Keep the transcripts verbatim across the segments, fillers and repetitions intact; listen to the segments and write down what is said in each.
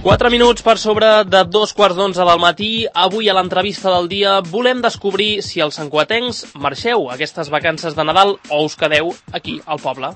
Quatre minuts per sobre de dos quarts d'onze del matí. Avui a l'entrevista del dia volem descobrir si els santcugatencs marxeu aquestes vacances de Nadal o us quedeu aquí al poble.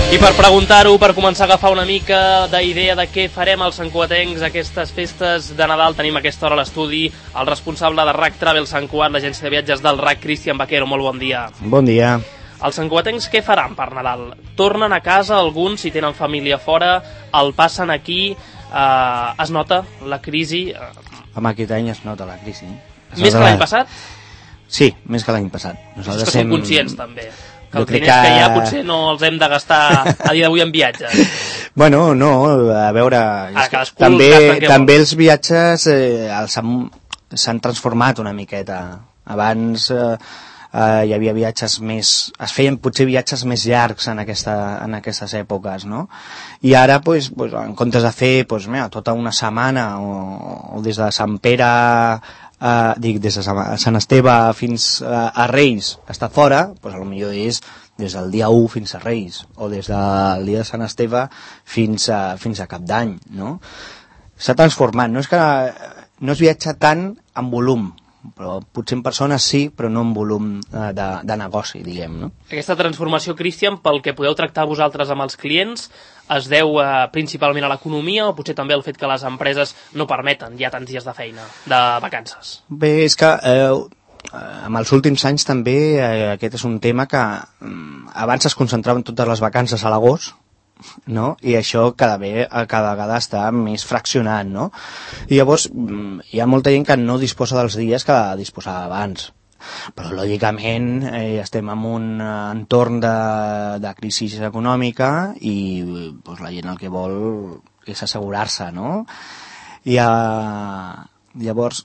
I per preguntar-ho, per començar a agafar una mica d'idea de què farem els santcugatencs aquestes festes de Nadal, tenim a aquesta hora a l'estudi el responsable de R A C Travel Sant Cugat, l'agència de viatges del R A C, Cristian Vaquero. Molt bon dia. Bon dia. Els santcugatencs què faran per Nadal? Tornen a casa, alguns, si tenen família fora, el passen aquí, eh, es nota la crisi? Home, aquest any es nota la crisi. Es Més que l'any passat? Sí, més que l'any passat. Nosaltres és que som conscients, també. Que els diners que... que hi ha potser no els hem de gastar a dia d'avui en viatges. Bueno, no, a veure... Ara, cadascú també també vol. Els viatges eh, s'han transformat una miqueta. Abans eh, eh, hi havia viatges més... Es feien potser viatges més llargs en, aquesta, en aquestes èpoques, no? I ara, pues, pues, en comptes de fer pues, mira, tota una setmana o, o des de Sant Pere... Uh, dic, des de Sant Esteve fins uh, a Reis està fora, doncs a lo millor és des del dia u fins a Reis o des del dia de Sant Esteve fins a, fins a Cap d'Any, no? S'ha transformat, no és que no es viatja tant en volum, però potser en persones sí, però no en volum uh, de, de negoci, diguem, no? Aquesta transformació, Cristian, pel que podeu tractar vosaltres amb els clients, es deu eh, principalment a l'economia o potser també al fet que les empreses no permeten ja tants dies de feina, de vacances? Bé, és que eh, en els últims anys també eh, aquest és un tema que eh, abans es concentraven totes les vacances a l'agost, no? I això cada, ve, cada vegada està més fraccionat, no? I llavors hi ha molta gent que no disposa dels dies que disposava abans. Però lògicament eh, estem en un entorn de, de crisi econòmica i pues, la gent el que vol és assegurar-se, no? I eh, llavors,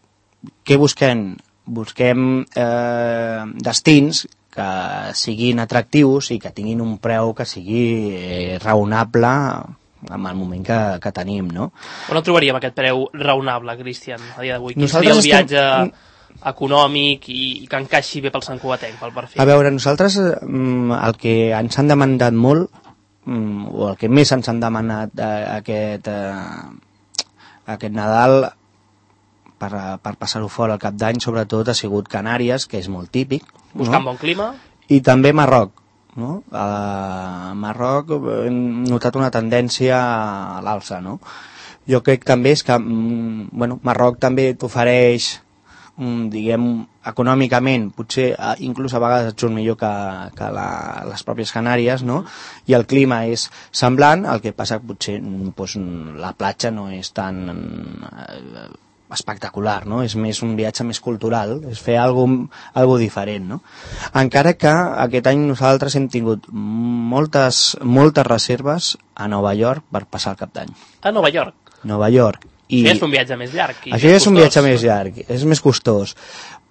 què busquem? Busquem eh, destins que siguin atractius i que tinguin un preu que sigui eh, raonable en el moment que, que tenim, no? On el trobaríem aquest preu raonable, Cristian, a dia d'avui? Quin seria el viatge estem... econòmic i, i que encaixi bé pel santcugatenc, pel perfil? A veure, nosaltres el que ens han demandat molt, o el que més ens han demanat aquest, aquest Nadal per, per passar-ho fora al Cap d'Any, sobretot ha sigut Canàries, que és molt típic. Buscant no? Bon clima. I també Marroc. No? A Marroc hem notat una tendència a l'alça, no? Jo crec també és que bueno, Marroc també t'ofereix, diguem, econòmicament, potser inclús a vegades et surt millor que, que la, les pròpies Canàries, no? I el clima és semblant, el que passa que potser doncs, la platja no és tan eh, espectacular, no? És més un viatge més cultural, és fer alguna cosa diferent, no? Encara que aquest any nosaltres hem tingut moltes, moltes reserves a Nova York per passar el Cap d'Any. A Nova York? Nova York. I això és un viatge més llarg. Això ja és un viatge més llarg, és més costós.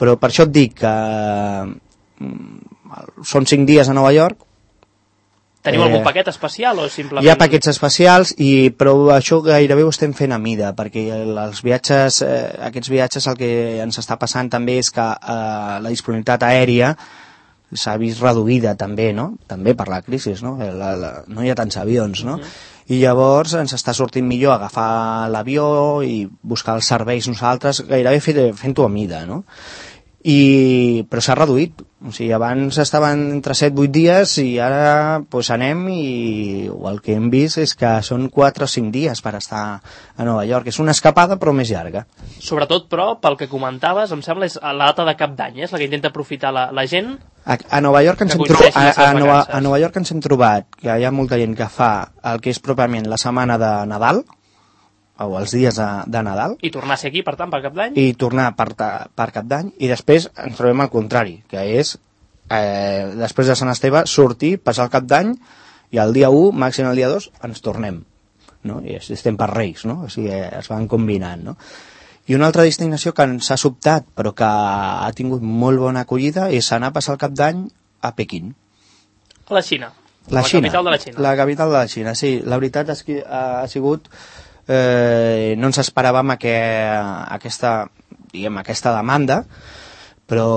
Però per això et dic que són cinc dies a Nova York. Teniu eh, algun paquet especial o simplement... Hi ha paquets especials, i, però això gairebé ho estem fent a mida, perquè els viatges, eh, aquests viatges el que ens està passant també és que eh, la disponibilitat aèria s'ha vist reduïda també, no? També per la crisi, no? La, la, no hi ha tants avions, no? Uh-huh. I llavors ens està sortint millor agafar l'avió i buscar els serveis nosaltres, gairebé fent-ho a mida, no? I, però s'ha reduït, o sigui, abans estaven entre set vuit dies i ara pues, anem i el que hem vist és que són quatre o cinc dies per estar a Nova York. És una escapada però més llarga. Sobretot, però, pel que comentaves, em sembla, és la data de Cap d'Any, és la que intenta aprofitar la, la gent. A, a, Nova York ens hem trobat, a, a, Nova, a Nova York ens hem trobat que hi ha molta gent que fa el que és pròpiament la setmana de Nadal, o els dies de, de Nadal. I tornar a ser aquí, per tant, per Cap d'Any? I tornar per, per Cap d'Any, i després ens trobem al contrari, que és, eh, després de Sant Esteve, sortir, passar el Cap d'Any, i el dia u, màxim el dia dos, ens tornem. No? I estem per Reis, no? O sigui, es van combinant, no? I una altra destinació que ens ha sobtat, però que ha tingut molt bona acollida, és anar a passar el Cap d'Any a Pequín. A la Xina. La, la Xina. capital de la Xina. La capital de la Xina, sí. La veritat és que ha sigut... Eh, no ens esperàvem que aquesta diguem, aquesta demanda, però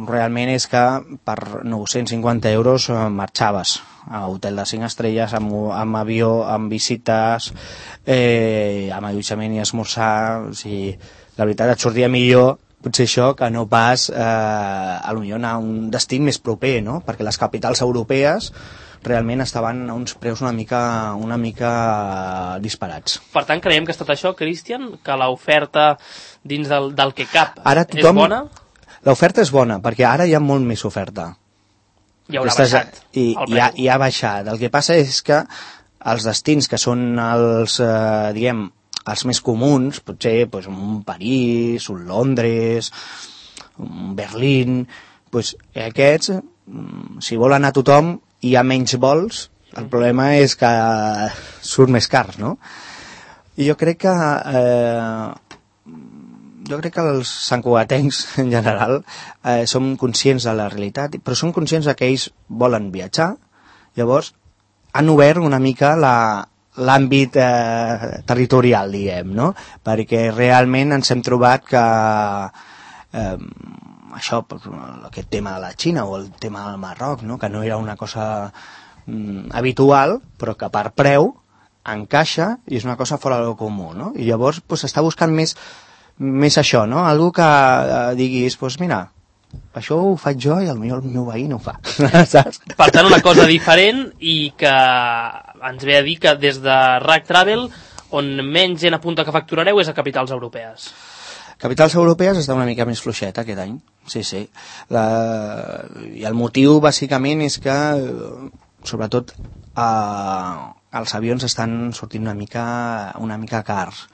realment és que per nou-cents cinquanta euros marxaves a hotel de cinc estrelles, amb, amb avió, amb visites, eh, amb allotjament i esmorzar. O sigui, la veritat et sortia millor potser això que no pas eh, a lo millor anar a un destí més proper, no? Perquè les capitals europees realment estaven a uns preus una mica, una mica disparats. Per tant, creiem que ha estat això, Cristian, que l'oferta dins del, del que cap ara tothom, és bona? L'oferta és bona, perquè ara hi ha molt més oferta. I haurà Aquestes, baixat i, el i, ha, I ha baixat. El que passa és que els destins que són els, eh, diguem, els més comuns, potser pues, un París, un Londres, un Berlín, pues, aquests, si vol anar tothom, hi ha menys vols, el problema és que surt més car, no? I jo crec que eh, jo crec que els santcugatencs en general eh, som conscients de la realitat, però són conscients que ells volen viatjar, llavors han obert una mica la, l'àmbit eh, territorial, diguem, no? Perquè realment ens hem trobat que eh, això, aquest tema de la Xina o el tema del Marroc, no? Que no era una cosa mm, habitual, però que per preu encaixa i és una cosa fora del comú, no? I llavors pues, està buscant més, més això, no? Algú que eh, diguis, pues mira, això ho faig jo i potser el meu veí no ho fa. Saps? Per tant, una cosa diferent i que ens ve a dir que des de R A C Travel on menys gent apunta que facturareu és a capitals europees. Capitals europees està una mica més fluixeta aquest any, sí, sí. La... I el motiu, bàsicament, és que, sobretot, eh, els avions estan sortint una mica, una mica cars,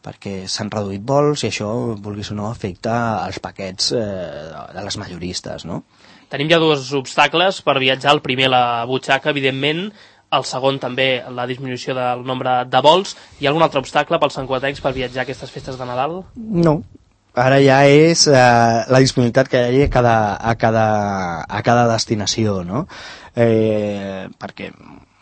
perquè s'han reduït vols i això, vulguis o no, afecta els paquets eh, de les majoristes, no? Tenim ja dos obstacles per viatjar. El primer, la butxaca, evidentment. El segon, també, la disminució del nombre de vols. Hi ha algun altre obstacle pels santcugatencs per viatjar a aquestes festes de Nadal? No. Ara ja és eh, la disponibilitat que hi ha a cada, a cada, a cada destinació, no? Eh, perquè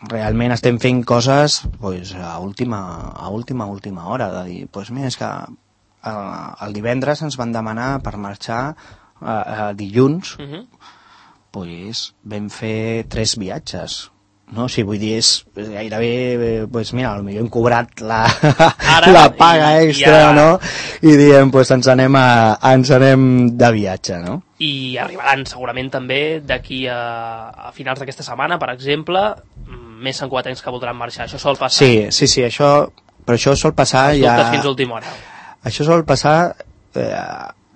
realment estem fent coses pues, a última, a última, última hora. De dir, pues, mira, és que el, el divendres ens van demanar per marxar a, a dilluns, uh-huh. pues, vam fer tres viatges. No? O sigui, vull dir, és gairebé, pues mira, potser hem cobrat la, Ara, la paga i, extra, i ja... no? I diem, pues ens anem, a, ens anem de viatge, no? I arribaran segurament també d'aquí a, a finals d'aquesta setmana, per exemple, més santcugatencs que voldran marxar. Això sol passar. Sí, sí, sí, això, però això sol passar Els ja... dubtes fins a última hora. Això sol passar eh,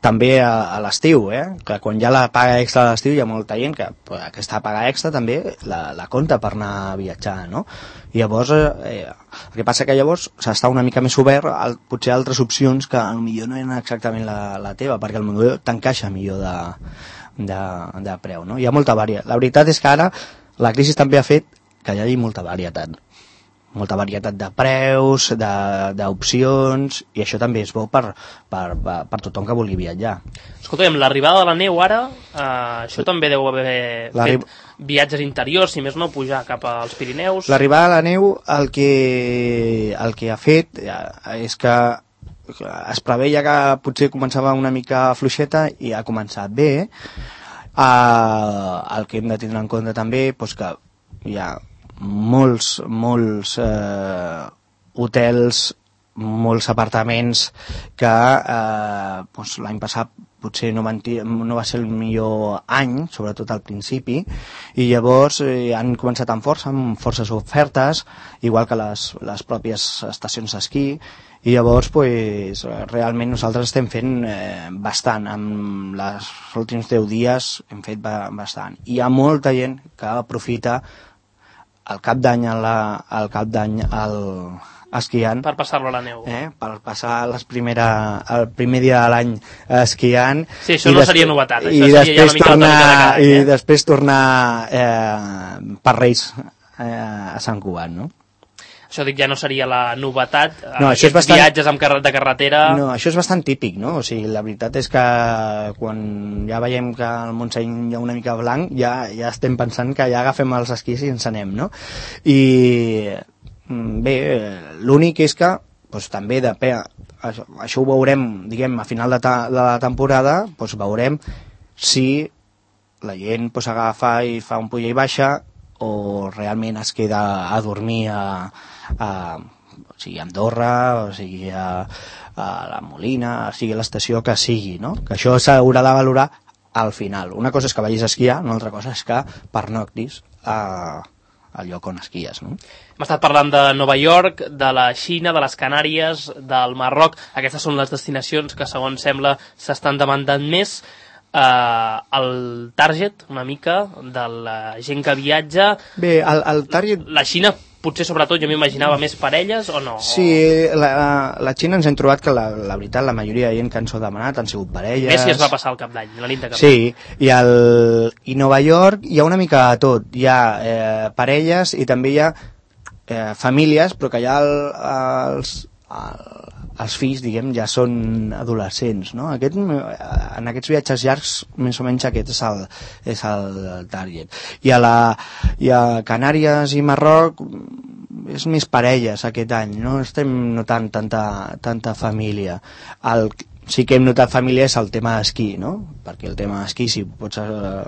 també a, a l'estiu, eh? Que quan hi ha la paga extra a l'estiu hi ha molta gent que pues, aquesta paga extra també la, la compta per anar a viatjar, no? I llavors, eh, el que passa que llavors s'està una mica més obert a potser altres opcions que potser no eren exactament la, la teva, perquè potser t'encaixa millor de, de, de preu, no? Hi ha molta varietat. La veritat és que ara la crisi també ha fet que hi hagi molta varietat. Molta varietat de preus, d'opcions, i això també és bo per, per, per tothom que vulgui viatjar. Escolta'm, l'arribada de la neu ara, eh, això també deu haver fet viatges interiors, si més no, pujar cap als Pirineus. L'arribada de la neu el que, el que ha fet és que es preveia que potser començava una mica fluixeta i ha començat bé. Eh, el que hem de tindre en compte també és que hi ha molts, molts eh, hotels, molts apartaments que eh, doncs, l'any passat potser no, van, no va ser el millor any, sobretot al principi, i llavors eh, han començat amb força, amb forces ofertes, igual que les, les pròpies estacions d'esquí, i llavors pues, realment nosaltres estem fent eh, bastant, amb els últims deu dies hem fet ba bastant. Hi ha molta gent que aprofita el cap d'any al cap d'any al esquiant. Per passar-lo a la neu. Eh? Per passar les primera, el primer dia de l'any esquiant. Sí, això no seria novetat. I, això després, ja tornar, de any, eh? i després tornar eh, per Reis eh, a Sant Cugat, no? Això dic, ja no seria la novetat, no, això és bastant... viatges amb car de carretera... No, això és bastant típic, no? O sigui, la veritat és que quan ja veiem que el Montseny hi ha una mica blanc, ja, ja estem pensant que ja agafem els esquís i ens anem, no? I bé, l'únic és que doncs, també depèn, això, això ho veurem, diguem, a final de, ta, de la temporada, doncs veurem si la gent pues, agafa i fa un puja i baixa o realment es queda a dormir a, a, o sigui, a Andorra, o sigui, a, a la Molina, o sigui, a l'estació que sigui, no? Que això s'haurà de valorar al final. Una cosa és que vagis a esquiar, una altra cosa és que pernoctis a, al lloc on esquies, no? Hem estat parlant de Nova York, de la Xina, de les Canàries, del Marroc. Aquestes són les destinacions que, segons sembla, s'estan demandant més. Uh, el target, una mica, de la gent que viatja... Bé, el, el target... La Xina, potser sobretot, jo m'imaginava més parelles o no? Sí, la, la Xina ens hem trobat que la, la veritat, la majoria de gent que ens ho ha demanat han sigut parelles... Més si es va passar el cap d'any, la nit de cap d'any. Sí, i, el, i Nova York hi ha una mica de tot. Hi ha eh, parelles i també hi ha eh, famílies, però que ja el, els... El, els fills, diguem, ja són adolescents, no? Aquest, en aquests viatges llargs, més o menys aquest és el, és el target. I a, la, i a Canàries i Marroc és més parelles aquest any, no estem notant tanta, tanta família. El, sí que hem notat família és el tema d'esquí, no? Perquè el tema d'esquí, si pots... Eh,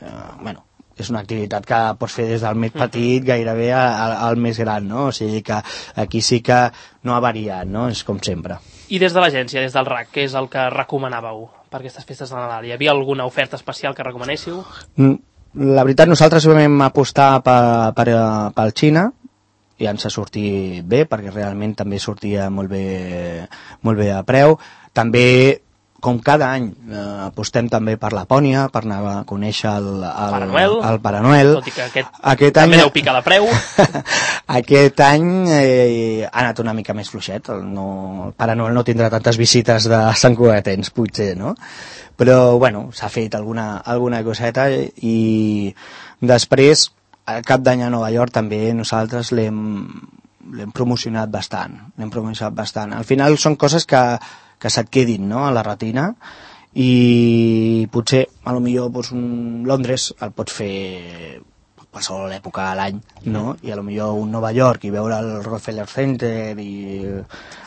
eh, bueno, és una activitat que pots fer des del més petit gairebé al, al més gran, no? O sigui que aquí sí que no ha variat, no? És com sempre. I des de l'agència, des del R A C, què és el que recomanàveu per aquestes festes de Nadal? Hi havia alguna oferta especial que recomanéssiu? La veritat, nosaltres vam apostar per, per, pel Xina i ens ha sortit bé, perquè realment també sortia molt bé, molt bé a preu. També, com cada any, eh, apostem també per Lapònia, per anar a conèixer el, el, Pare Noel, el Pare Noel. Tot i que aquest, aquest també any, deu picar de preu. Aquest any eh, ha anat una mica més fluixet. El, no, el Pare Noel no tindrà tantes visites de Sant Cugatens, potser, no? Però, bueno, s'ha fet alguna, alguna coseta i després, al cap d'any a Nova York també nosaltres l'hem l'hem promocionat bastant. L'hem promocionat bastant. Al final són coses que que se't quedin, no?, a la retina, i potser, a lo millor, doncs, un Londres el pots fer qualsevol època de l'any, no? I a lo millor un Nova York i veure el Rockefeller Center i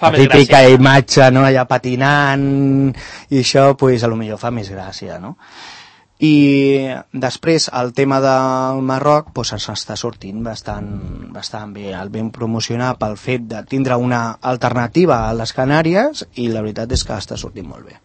fa la típica imatge, no?, allà patinant, i això, doncs, a lo millor fa més gràcia, no? I després el tema del Marroc doncs ens està sortint bastant, bastant bé. El vam promocionar pel fet de tindre una alternativa a les Canàries i la veritat és que està sortint molt bé.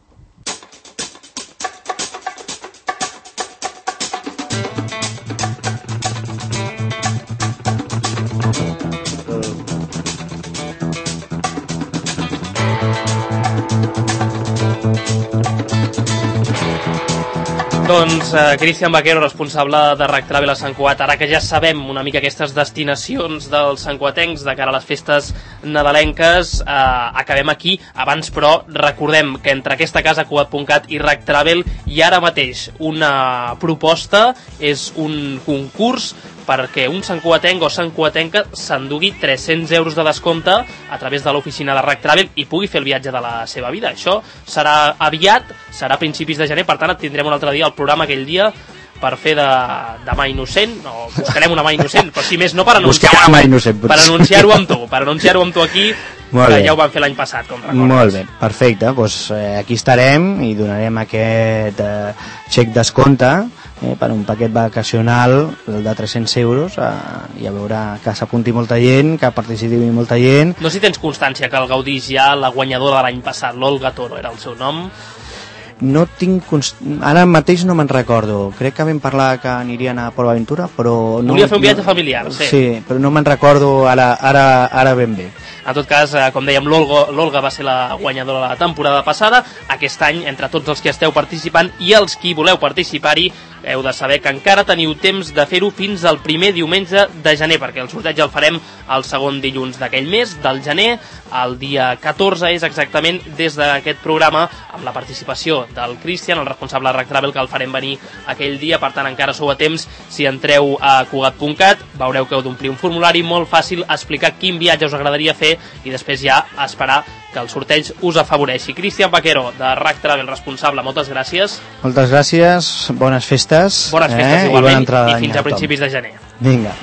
Doncs eh, Cristian Vaquero, responsable de R A C Travel a Sant Cugat, ara que ja sabem una mica aquestes destinacions dels santcugatencs de cara a les festes nadalenques, eh, acabem aquí. Abans, però, recordem que entre aquesta casa, Cugat punt cat i R A C Travel, hi ha ara mateix una proposta, és un concurs perquè un santcugatenc o santcugatenca s'endugui tres-cents euros de descompte a través de l'oficina de R A C Travel i pugui fer el viatge de la seva vida. Això serà aviat, serà a principis de gener, per tant et tindrem un altre dia al programa aquell dia per fer de, de mà innocent, o buscarem una mà innocent, però si més no per anunciar-ho per anunciar-ho amb tu, per anunciar-ho amb tu aquí, molt que bé. Ja ho vam fer l'any passat, com recordes. Molt bé, perfecte, doncs eh, aquí estarem i donarem aquest eh, xec descompte eh, per un paquet vacacional de tres-cents euros, eh, i a veure que s'apunti molta gent, que participi molta gent. No sé si tens constància que el gaudís ja la guanyadora de l'any passat, l'Olga Toro era el seu nom. No tinc const... Ara mateix no me'n recordo. Crec que vam parlar que anirien a Port Aventura, però... No, volia fer un viatge no, familiar, sí. Sí, però no me'n recordo ara, ara, ara ben bé. En tot cas, eh, com dèiem, l'Olga va ser la guanyadora de la temporada passada. Aquest any, entre tots els que esteu participant i els qui voleu participar-hi, heu de saber que encara teniu temps de fer-ho fins al primer diumenge de gener, perquè el sorteig el farem el segon dilluns d'aquell mes, del gener. El dia catorze és exactament des d'aquest programa, amb la participació del Cristian, el responsable de R A C Travel, que el farem venir aquell dia. Per tant, encara sou a temps. Si entreu a Cugat punt cat, veureu que heu d'omplir un formulari molt fàcil, explicar quin viatge us agradaria fer i després ja esperar que el sorteig us afavoreixi. Cristian Vaquero, de R A C Travel, responsable, moltes gràcies. Moltes gràcies, bones festes. Bones festes, eh? Igualment, i, i fins a principis de gener. Vinga.